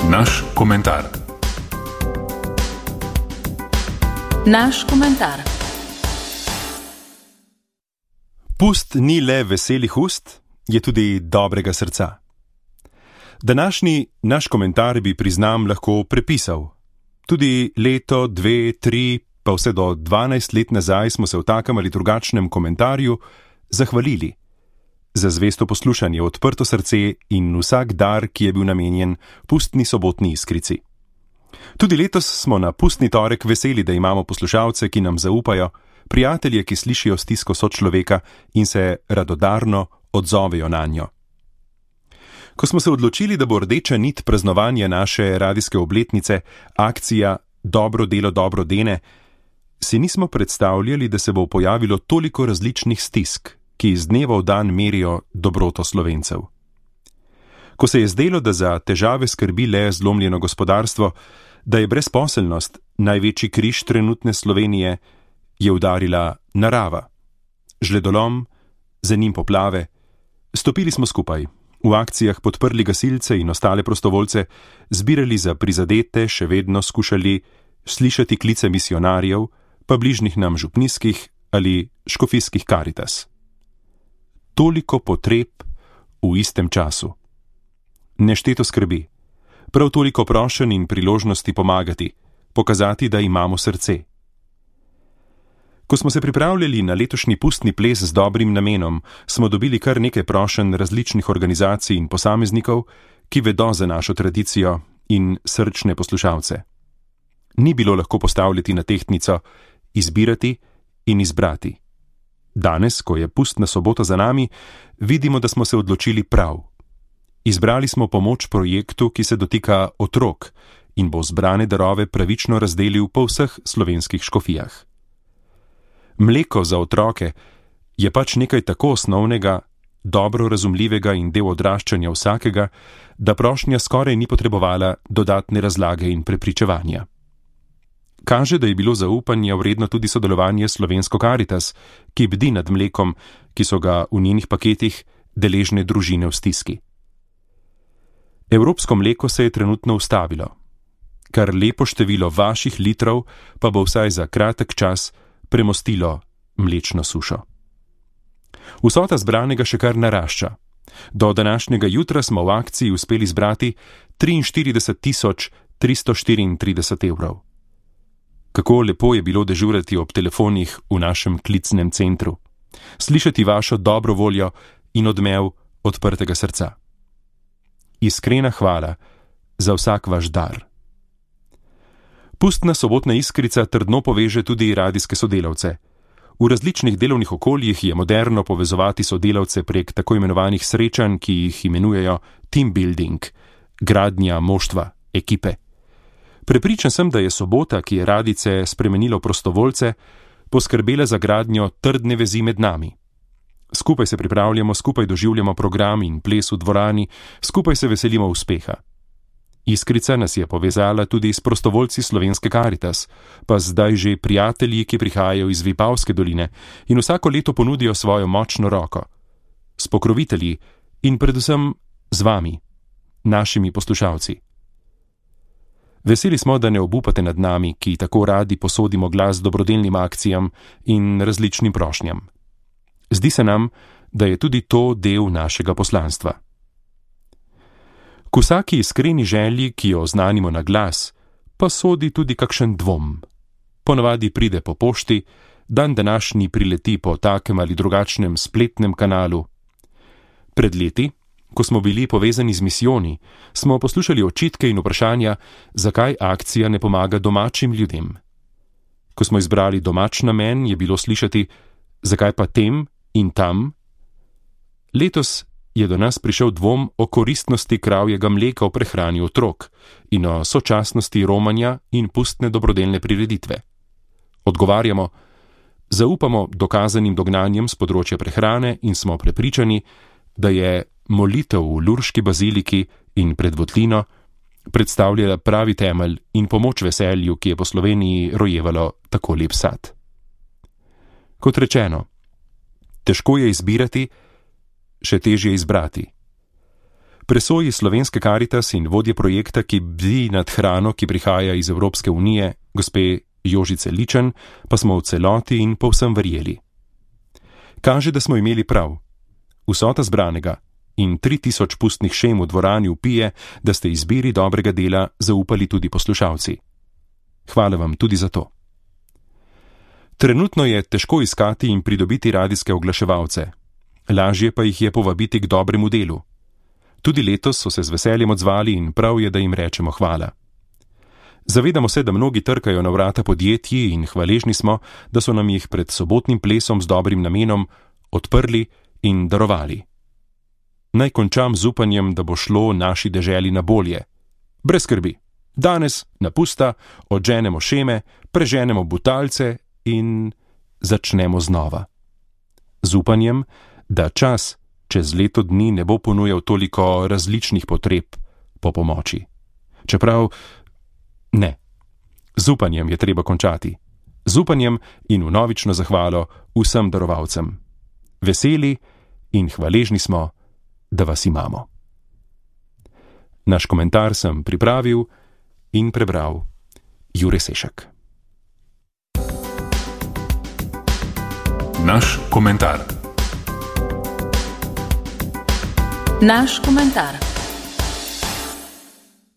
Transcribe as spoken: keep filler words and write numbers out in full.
Naš komentar. Naš komentar. Pust ni le veselih ust, je tudi dobrega srca. Današnji naš komentar bi priznam lahko prepisal. Tudi leto, dve, tri, pa vse do dvanajst let nazaj smo se v takem ali drugačnem komentarju zahvalili za zvesto poslušanje, odprto srce in vsak dar, ki je bil namenjen pustni sobotni iskrici. Tudi letos smo na pustni torek veseli, da imamo poslušalce, ki nam zaupajo, prijatelje, ki slišijo stisko sočloveka in se radodarno odzovejo nanjo. Ko smo se odločili, da bo rdeča nit praznovanja naše radijske obletnice akcija Dobro delo dobro dene, si nismo predstavljali, da se bo pojavilo toliko različnih stisk, ki iz dneva v dan merijo dobroto Slovencev. Ko se je zdelo, da za težave skrbi le zlomljeno gospodarstvo, da je brezposelnost največji križ trenutne Slovenije, je udarila narava. Žledolom, za njim poplave. Stopili smo skupaj, v akcijah podprli gasilce in ostale prostovoljce, zbirali za prizadete, še vedno skušali slišati klice misionarjev, pa bližnjih nam župnijskih ali škofijskih Karitas. Toliko potreb v istem času. Nešteto skrbi, prav toliko prošenj in priložnosti pomagati, pokazati, da imamo srce. Ko smo se pripravljali na letošnji pustni ples z dobrim namenom, smo dobili kar nekaj prošenj različnih organizacij in posameznikov, ki vedo za našo tradicijo in srčne poslušalce. Ni bilo lahko postavljati na tehtnico, izbirati in izbrati. Danes, ko je pustna sobota za nami, vidimo, da smo se odločili prav. Izbrali smo pomoč projektu, ki se dotika otrok in bo zbrane darove pravično razdelil po vseh slovenskih škofijah. Mleko za otroke je pač nekaj tako osnovnega, dobro razumljivega in del odraščanja vsakega, da prošnja skoraj ni potrebovala dodatne razlage in prepričevanja. Kaže, da je bilo zaupanja vredno tudi sodelovanje Slovensko Karitas, ki bdi nad mlekom, ki so ga v njenih paketih deležne družine v stiski. Evropsko mleko se je trenutno ustavilo. Kar lepo število vaših litrov pa bo vsaj za kratek čas premostilo mlečno sušo. Vsota zbranega še kar narašča. Do današnjega jutra smo v akciji uspeli zbrati triinštirideset tisoč tristo štiriintrideset evrov. Kako lepo je bilo dežurati ob telefonih v našem klicnem centru, slišati vašo dobro voljo in odmev odprtega srca. Iskrena hvala za vsak vaš dar. Pustna sobotna iskrica trdno poveže tudi radijske sodelavce. V različnih delovnih okoljih je moderno povezovati sodelavce prek tako imenovanih srečanj, ki jih imenujejo team building, gradnja moštva, ekipe. Prepričan sem, da je sobota, ki je radice spremenilo prostovoljce, poskrbela za gradnjo trdne vezi med nami. Skupaj se pripravljamo, skupaj doživljamo program in ples v dvorani, skupaj se veselimo uspeha. Iskrica nas je povezala tudi s prostovoljci Slovenske Karitas, pa zdaj že prijatelji, ki prihajajo iz Vipavske doline in vsako leto ponudijo svojo močno roko. S pokrovitelji in predvsem z vami, našimi poslušalci. Veseli smo, da ne obupate nad nami, ki tako radi posodimo glas dobrodelnim akcijam in različnim prošnjam. Zdi se nam, da je tudi to del našega poslanstva. K vsaki iskreni želji, ki jo oznanimo na glas, pa sodi tudi kakšen dvom. Ponavadi pride po pošti, dan današnji prileti po takem ali drugačnem spletnem kanalu. Pred leti, ko smo bili povezani z misijoni, smo poslušali očitke in vprašanja, zakaj akcija ne pomaga domačim ljudem. Ko smo izbrali domač namen, je bilo slišati, zakaj pa tem in tam. Letos je do nas prišel dvom o koristnosti kravjega mleka v prehrani otrok in o sočasnosti romanja in pustne dobrodelne prireditve. Odgovarjamo, zaupamo dokazanim dognanjem z področja prehrane in smo prepričani, da je molitev v Lurški baziliki in pred votlino predstavljala pravi temelj in pomoč veselju, ki je po Sloveniji rojevalo tako lep sad. Kot rečeno, težko je izbirati, še težje izbrati. Presoji Slovenske Karitas in vodje projekta, ki bdi nad hrano, ki prihaja iz Evropske unije, gospe Jožice Ličen, pa smo v celoti in povsem verjeli. Kaže, da smo imeli prav. Vsota zbranega in tri tisoč pustnih šem v dvorani vpije, da ste izbiri dobrega dela zaupali tudi poslušalci. Hvala vam tudi za to. Trenutno je težko iskati in pridobiti radijske oglaševalce. Lažje pa jih je povabiti k dobremu delu. Tudi letos so se z veseljem odzvali in prav je, da jim rečemo hvala. Zavedamo se, da mnogi trkajo na vrata podjetji in hvaležni smo, da so nam jih pred sobotnim plesom z dobrim namenom odprli in darovali. Naj končam z upanjem, da bo šlo naši deželi na bolje. Brez skrbi. Danes na pusta odženemo šeme, preženemo butalce in začnemo znova. Z upanjem, da čas čez leto dni ne bo ponujal toliko različnih potreb po pomoči. Čeprav ne. Z upanjem je treba končati. Z upanjem in vnovično zahvalo vsem darovalcem. Veseli in hvaležni smo, da vas imamo. Naš komentar sem pripravil in prebral Jure Sešek. Naš komentar. Naš komentar.